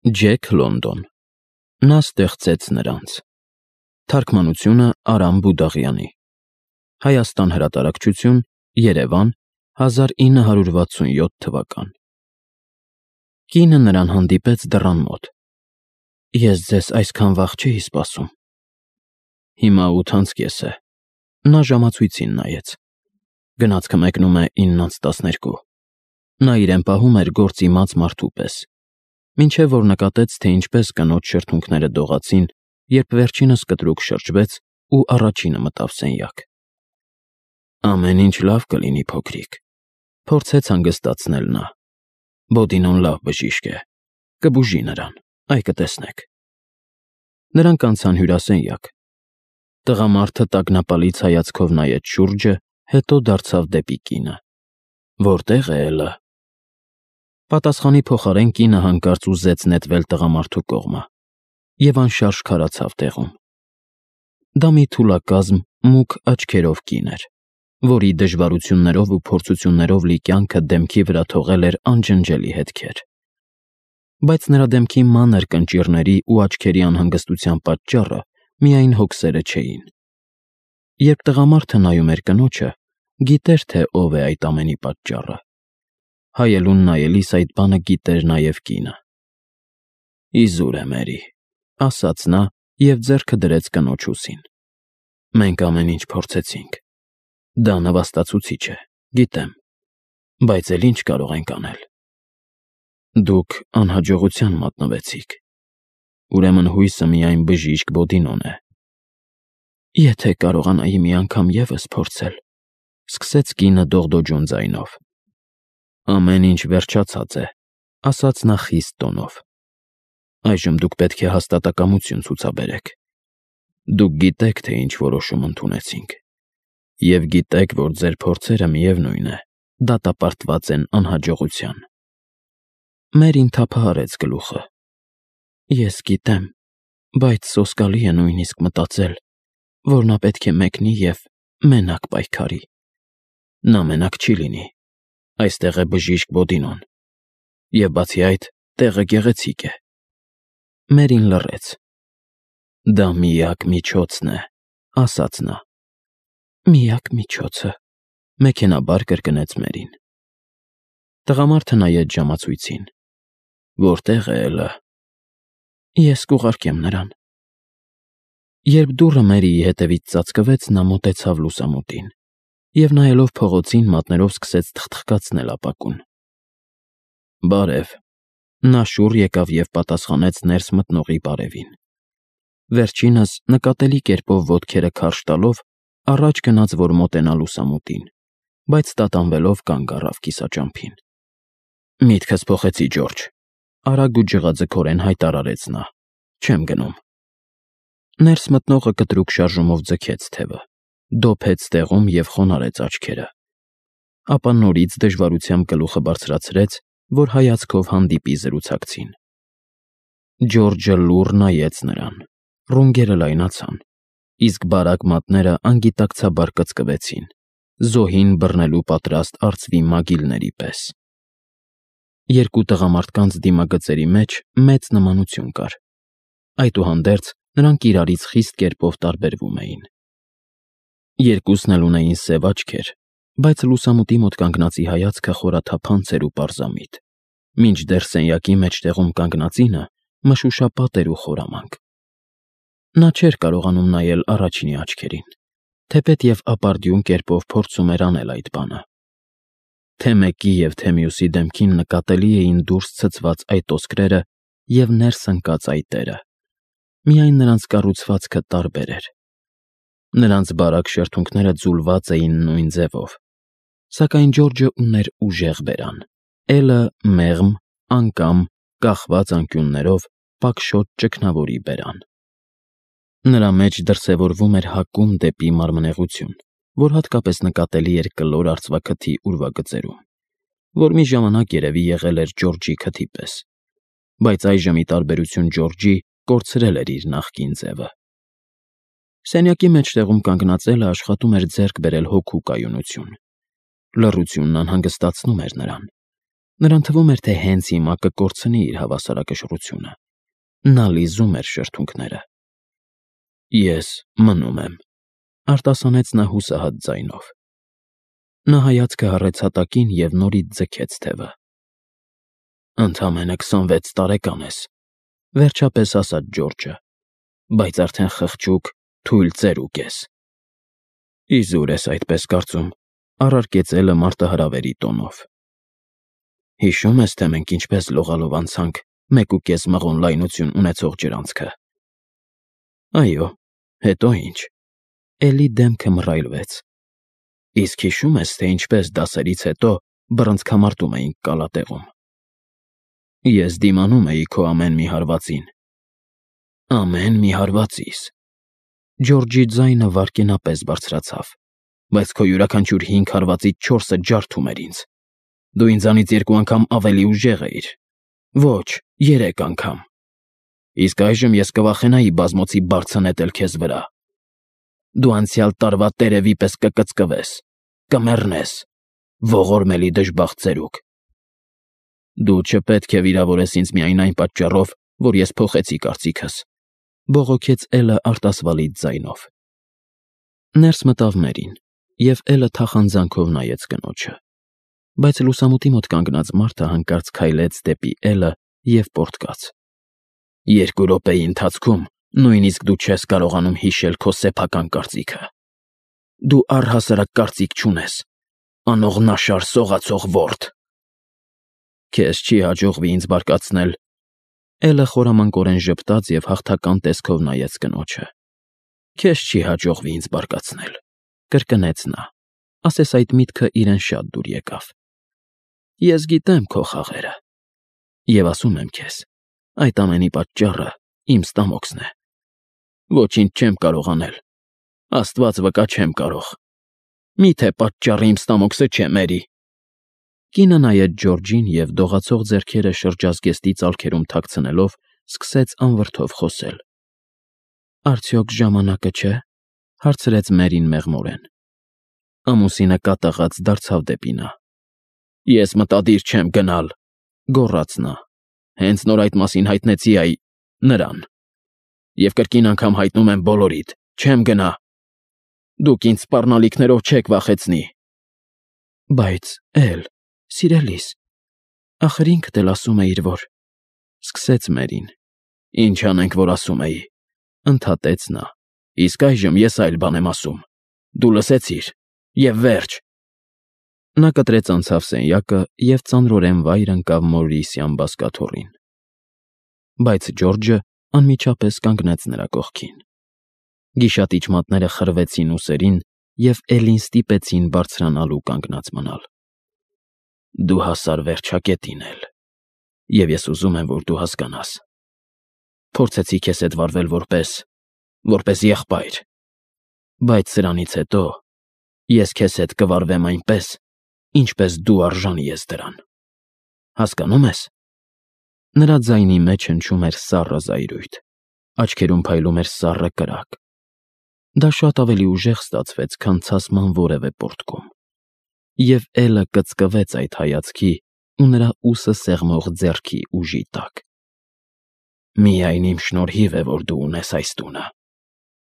Ջեք Լոնդոն։ Նա ստեղծեց նրանց։ Թարգմանությունը Արամ Բուդաղյանի։ Հայաստան հրատարակչություն, Երևան, 1967 թվական։ Կինը նրան հանդիպեց դռան մոտ։ Ես ձեզ այսքան վաղ չէի սպասում։ Հիմա 8:30 է։ Նա ժամացույցին նայեց։ Գնացքը մեկնում է 9:12։ Նա իրեն պահում էր գործ իմաց մարդու պես, մինչև որ նկատեց, թե ինչպես կնոջ շրթունքները դողացին, երբ վերջինս կտրուկ շրջվեց ու առաջինը մտավ սենյակ։ Ամեն ինչ լավ կլինի, փոքրիկ, փորձեց հանգստացնել նա։ Բոդինոն լավ բժիշկ է, կբուժի նրան, այ կտեսնեք։ Նրանք անցան հյուրասենյակ։ Տղամարդը տագնապալից հայացքով նայեց շուրջը, հետո դարձավ դեպի կինը։ Որտե՞ղ է Էլը։ Պատասխանի փոխարեն կինը հանկարծ ուզեց նետվել տղամարդու կողմը և անշարժ քարացավ տեղում։ Դա մի թուլակազմ, մուգ աչքերով կին էր, որի դժվարություններով ու փորձություններով լի կյանքը դեմքի վրա թողել էր անջնջելի հետքեր։ Բայց նրա դեմքի մանր կնճիռների ու աչքերի անհանգստության պատճառը միայն հոգսերը չէին։ Երբ տղամարդը նայում էր կնոջը, գիտեր, թե ով է այդ ամենի պատճառը։ Հայելուն նայելիս այդ բանը գիտեր նաև կինը։ Իզուր է, Մերի, ասաց նա և ձեռքը դրեց կնոջ ուսին։ Մենք ամեն ինչ փորձեցինք։ Դա նվաստացուցիչ է, գիտեմ, բայց էլ ինչ կարող ենք անել։ Դուք անհաջողության մատնվեցիք։ Ուրեմն հույսը միայն բժիշկ Բոդինոն է։ Եթե կարողանայի մի անգամ ևս փորձել, սկսեց կինը դողդոջուն ձայնով։ Ամեն ինչ վերջացած է, ասաց նա խիստ տոնով։ Այժմ դուք պետք է հաստատակամություն ցուցաբերեք։ Դուք գիտեք, թե ինչ որոշում ընդունեցինք, և գիտեք, որ ձեր փորձերը միևնույն է, դատապարտված են անհաջողության։ Մերին թափահարեց գլուխը։ Ես գիտեմ, բայց սոսկալի է նույնիսկ մտածել, որ նա պետք է մեկնի և մենակ պայքարի։ Նա մենակ չի լինի։ Այստեղ է բժիշկ Բոդինոն։ Եվ բացի այդ, տեղը գեղեցիկ է։ Մերին լռեց։ Դա միակ միջոցն է, ասաց նա։ Միակ միջոցը, մեքենաբար կրկնեց Մերին։ Տղամարդը նայեց ժամացույցին։ Որտե՞ղ է Էլը։ Ես կուղարկեմ նրան։ Երբ դուռը Մերիի հետևից ծածկվեց, նա մոտեցավ լուսամուտին և նայելով փողոցին մատներով սկսեց թխթխկացնել ապակուն։ Բարև։ Նա շուռ եկավ և պատասխանեց ներս մտնողի բարևին։ Վերջինս նկատելի կերպով ոտքերը քարշ տալով առաջ գնաց, որ մոտենա լուսամուտին, բայց տատանվելով կանգ առավ կիսաճամփին։ Միտքս փոխեցի, Ջորջ, արագ ու ջղաձգորեն հայտարարեց նա։ Չեմ գնում։ Ներս մտնողը կտրուկ շարժումով ձգեց թևը, դոփեց տեղում և խոնարհեց աչքերը։ Ապա նորից դժվարությամբ գլուխը բարձրացրեց, որ հայացքով հանդիպի զրուցակցին։ Ջորջը լուռ նայեց նրան, ռունգերը լայնացան, իսկ բարակ մատները անգիտակցաբար կծկվեցին, զոհին բռնելու պատրաստ արծվի մագիլների պես։ Երկու տղամարդկանց դիմագծերի մեջ մեծ նմանություն կար։ Այդուհանդերձ նրանք իրարից խիստ կերպով տարբերվում էին։ Երկուսն էլ ունեին սև աչքեր, բայց լուսամուտի մոտ կանգնածի հայացքը խորաթափանց էր ու պարզամիտ, մինչդեռ սենյակի մեջտեղում կանգնածինը մշուշապատ էր ու խորամանկ։ Նա չէր կարողանում նայել առաջինի աչքերին, թեպետև ապարդյուն կերպով փորձում էր անել այդ բանը։ Թե մեկի և թե մյուսի դեմքին նկատելի էին դուրս ցցված այդ ոսկրերը և ներս ընկած այտերը, միայն նրանց կառուցվածքը տարբեր էր։ Նրանց բարակ շրթունքները ձուլված էին նույն ձևով, սակայն Ջորջը ուներ ուժեղ բերան, Էլը մեղմ, անկամ, կախված անկյուններով, պակշոտ ճգնավորի բերան։ Նրա մեջ դրսևորվում էր հակում դեպի մարմնեղություն, որ հատկապես նկատելի էր կլոր արծվաքթի ուրվագծերում, որ մի ժամանակ երևի եղել էր Ջորջի քթի պես, բայց այժմ ի տարբերություն Ջորջի կորցրել էր իր նախկին ձևը։ Սենյակի մեջտեղում կանգնած Էլը աշխատում էր ձեռք բերել հոգու կայունություն։ Լռությունն անհանգստացնում էր նրան։ Նրան թվում էր, թե հենց հիմա կկորցնի իր հավասարակշռությունը։ Նա լիզում էր շրթունքները։ Ես մնում եմ, արտասանեց նա հուսահատ ձայնով։ Նա հայացքը հառեց հատակին և նորից ձգեց թևը։ Ընդամենը 26 տարեկան ես, վերջապես ասաց Ջորջը, բայց արդեն խղճուկ, թույլ ծերուկ ես։ Իզուր ես այդպես կարծում, առարկեց Էլը մարտահրավերի տոնով։ Հիշում ես, թե մենք ինչպես լողալով անցանք 1.5 մղոն լայնություն ունեցող ջրանցքը։ Այո, հետո ինչ։ Էլի դեմքը մռայլվեց։ Իսկ հիշում ես, թե ինչպես դասերից հետո բռնցքամարտում էինք կալատեղում։ Ես դիմանում էի քո ամեն մի հարվածին։ Ամեն մի հարվածիս։ Ջորջի ձայնը վայրկենապես բարձրացավ, բայց քո յուրաքանչյուր 5 հարվածից 4-ը ջարդում էր ինձ։ Դու ինձանից 2 անգամ ավելի ուժեղ էիր։ Ոչ, 3 անգամ։ Իսկ այժմ ես կվախենայի բազմոցի բարձը նետել քեզ վրա։ Դու անցյալ տարվա տերևի պես կկծկվես, կմեռնես, ողորմելի դժբախտ ծերուկ։ Դու չպետք է վիրավորես ինձ միայն այն պատճառով, որ ես փոխեցի կարծիքս, բողոքեց Էլը արտասվալից ձայնով։ Ներս մտավ Մերին, և Էլը թախանձանքով նայեց կնոջը։ Բայց լուսամուտի մոտ կանգնած մարդը հանկարծ քայլեց դեպի Էլը և պոռթկաց։ 2 րոպեի ընթացքում նույնիսկ դու չես կարողանում հիշել քո սեփական կարծիքը։ Դու առհասարակ կարծիք չունես, անողնաշար սողացող որդ։ Քեզ չի հաջողվի ինձ բարկացնել։ Էլը խորամանկորեն ժպտաց և հաղթական տեսքով նայեց կնոջը։ Քեզ չի հաջողվի ինձ բարկացնել, կրկնեց նա, ասես այդ միտքը իրեն շատ դուր եկավ։ Ես գիտեմ քո խաղերը։ Եվ ասում եմ քեզ, այդ ամենի պատճառը իմ ստամոքսն է։ Ոչինչ չեմ կարող անել։ Աստված վկա չեմ կարող։ Միթե պատճառը իմ ստամոքսը չէ, Մերի։ Կինը նայեց Ջորջին և դողացող ձեռքերը շրջազգեստի ծալքերում թաքցնելով սկսեց անվրդով խոսել։ Արդյոք ժամանակը չէ, հարցրեց Մերին մեղմորեն։ Ամուսինը կատաղած դարձավ դեպի նա։ Ես մտադիր չեմ գնալ, գոռաց նա։ Հենց նոր այդ մասին հայտնեցի նրան։ Եվ կրկին անգամ հայտնում եմ բոլորիդ, չեմ գնա։ Դուք ինձ սպառնալիքներով չեք վախեցնի։ Բայց Էլ, սիրելիս, ախր ինքդ էլ ասում էիր, որ… Սկսեց Մերին։ Ինչ անենք, որ ասում էի, ընդհատեց նա։ Իսկ այժմ ես այլ բան եմ ասում։ Դու լսեցիր, և վերջ։ Նա կտրեց անցավ սենյակը և ծանրորեն վայր ընկավ Մորրիսյան բազկաթոռին։ Բայց Ջորջը անմիջապես կանգնեց նրա կողքին։ Գիշատիչ մատները խրվեցին ուսերին և Էլին ստիպեցին բարձրանալ ու կանգնած մնալ։ Դու հասար վերջակետին, Էլ, և ես ուզում եմ, որ դու հասկանաս։ Փորձեցի քեզ հետ վարվել որպես եղբայր, բայց սրանից հետո ես քեզ հետ կվարվեմ այնպես, ինչպես դու արժանի ես դրան։ Հասկանում ես։ Նրա ձայնի մեջ հնչում էր սառը զայրույթ, աչքերում փայլում էր սառը կրակ։ Դա շատ ավելի ուժեղ ստացվեց, քան ցասման որևէ պոռթկում։ Եվ Էլը կծկվեց այդ հայացքի ու նրա ուսը սեղմող ձեռքի ուժի տակ։ Միայն իմ շնորհիվ է, որ դու ունես այս տունը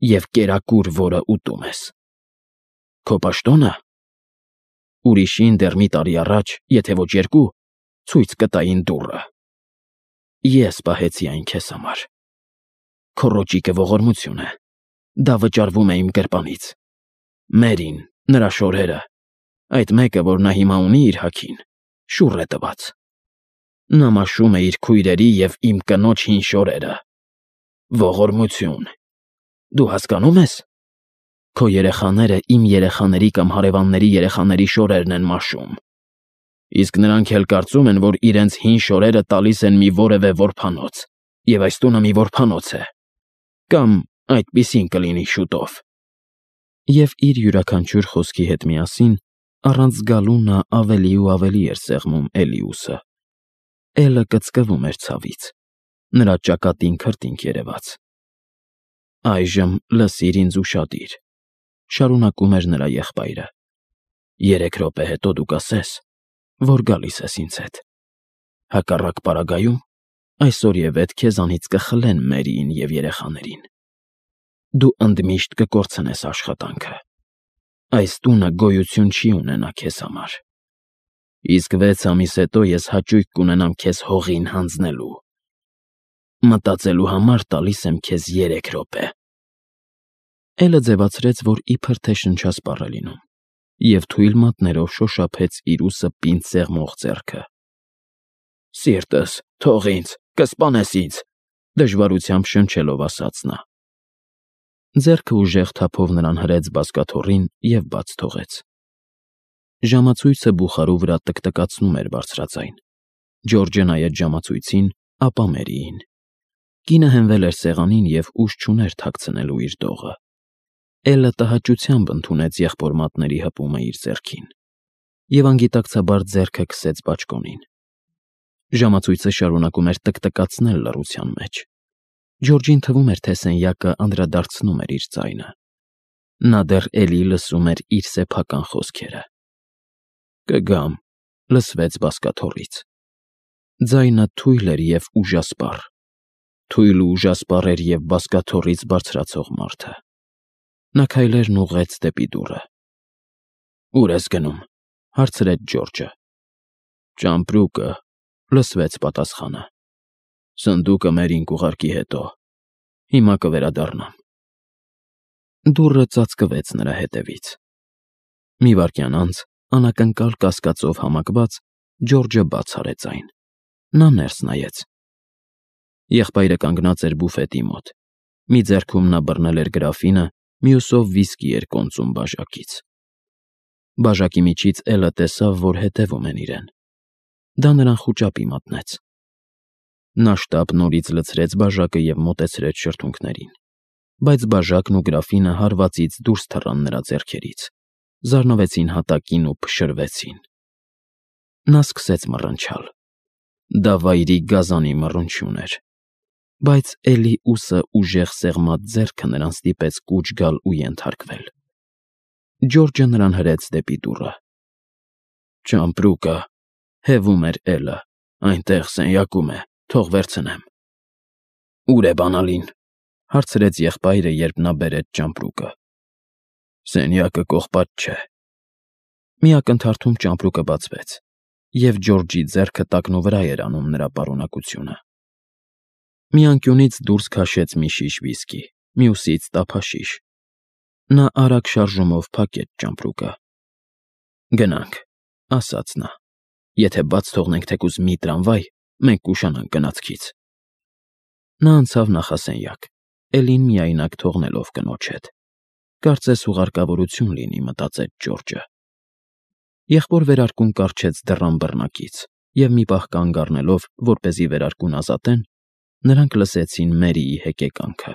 և կերակուր, որը ուտում ես։ Քո պաշտո՞նը։ Ուրիշին դեռ մի տարի առաջ, եթե ոչ 2, ցույց կտային դուռը։ Ես պահեցի այն քեզ համար։ Քո ռոճիկը ողորմություն է։ Դա վճարվում է իմ գրպանից։ Մերին, նրա շորերը, այդ մեկը, որ նա հիմա ունի իր հագին, շուռ է տված։ Նա մաշում է իր քույրերի և իմ կնոջ հին շորերը։ Ողորմություն։ Դու հասկանո՞ւմ ես։ Քո երեխաները իմ երեխաների կամ հարևանների երեխաների շորերն են մաշում։ Իսկ նրանք էլ կարծում են, որ իրենց հին շորերը տալիս են մի որևէ որբանոց, և այս տունը մի որբանոց է։ Կամ այդպիսին կլինի շուտով։ Եվ իր յուրաքանչյուր խոսքի հետ միասին, առանց զգալու նա ավելի ու ավելի էր սեղմում Էլի ուսը։ Էլը կծկվում էր ցավից։ Նրա ճակատին քրտինք երևաց։ Այժմ լսիր ինձ ուշադիր, շարունակում էր նրա եղբայրը։ 3 րոպե հետո դու կասես, որ գալիս ես ինձ հետ։ Հակառակ պարագայում այսօր եւ էդ քեզանից կխլեն Մերիին եւ երեխաներին։ Դու ընդմիշտ կկորցնես աշխատանքը։ Այս տունը գոյություն չի ունենա քեզ համար։ Իսկ 6 ամիս հետո ես հաճույք կունենամ քեզ հողին հանձնելու։ Մտածելու համար տալիս եմ քեզ 3 րոպե։ Էլը ձևացրեց, որ իբր թե շնչասպառ է լինում, եւ թույլ մատներով շոշափեց իր ուսը պինդ սեղմող ձեռքը։ Սիրտս, թող ինձ, կսպանես ինձ, դժվարությամբ շնչելով ասաց նա։ Ձեռքը ուժեղ թափով նրան հրեց բազկաթոռին և բաց թողեց։ Ժամացույցը բուխարու վրա տկտկացնում էր բարձրաձայն։ Ջորջը նայեց ժամացույցին, ապա Մերիին։ Կինը հենվել էր սեղանին և ուժ չուներ թաքցնելու իր դողը։ Էլը տհաճությամբ ընդունեց եղբոր մատների հպումը իր ձեռքին և անգիտակցաբար ձեռքը քսեց բաճկոնին։ Ժամացույցը շարունակում էր տկտկացնել լռության մեջ։ Ջորջին թվում էր, թե սենյակը անդրադարձնում էր իր ձայնը։ Նա դեռ էլի լսում էր իր սեփական խոսքերը։ «Կգամ», լսվեց բազկաթոռից։ Ձայնը թույլ էր և ուժասպառ։ Թույլ ու ուժասպառ էր և բազկաթոռից բարձրացող մարդը։ Նա քայլերն ուղղեց դեպի դուռը։ «Ո՞ւր ես գնում», հարցրեց Ջորջը։ «Ճամպրուկը», լսվեց պատասխանը։ «Սնդուկը Մերին կուղարկի հետո։ Հիմա կվերադառնամ»։ Դուռը ծածկվեց նրա հետևից։ Մի վայրկյան անց, անակնկալ կասկածով համակված, Ջորջը բաց արեց այն։ Նա ներս նայեց։ Եղբայրը կանգնած էր բուֆետի մոտ։ Մի ձեռքում նա բռնել էր գրաֆինը, մյուսով վիսկի էր կոնծում բաժակից։ Բաժակի միջից Էլը տեսավ, որ հետևում են իրեն։ Դա նրան խուճապի մատնեց։ Նա շտապ նորից լցրեց բաժակը և մոտեցրեց շրթունքներին, բայց բաժակն ու գրաֆինը հարվածից դուրս թռան նրա ձեռքերից, զարնվեցին հատակին ու փշրվեցին։ Նա սկսեց մռնչալ։ Դա վայրի գազանի մռնչյուն էր, բայց էլի ուսը ուժեղ սեղմած ձեռքը նրան ստիպեց կուչ գալ ու ենթարկվել։ Ջորջը նրան հրեց դեպի դուռը։ «Ճամպրուկը», հևում էր Էլը, «այնտեղ սենյակում է, թող վերցնեմ»։ «Ո՞ւր է բանալին», հարցրեց եղբայրը, երբ նա բերեց ճամպրուկը։ «Սենյակը կողպատ չէ»։ Մի ակնթարթում ճամպրուկը բացվեց, և Ջորջի ձեռքը տակնուվրա էր անում նրա պարունակությունը։ Մի անկյունից դուրս քաշեց մի շիշ վիսկի, մյուսից տափաշիշ։ Նա արագ շարժումով փակեց ճամպրուկը։ «Գնանք», ասաց նա։ «Եթե բաց թողնենք թեկուզ մի տրամվայ, մենք կուշանանք գնացքից»։ Նա անցավ նախասենյակ, Էլին միայնակ թողնելով կնոջ հետ։ Կարծես հուղարկավորություն լինի, մտածեց Ջորջը։ Եղբոր վերարկուն կառչեց դռան բռնակից, և մի պահ կանգ առնելով, որպեսզի վերարկուն ազատեն, նրանք լսեցին Մերիի հեկեկանքը։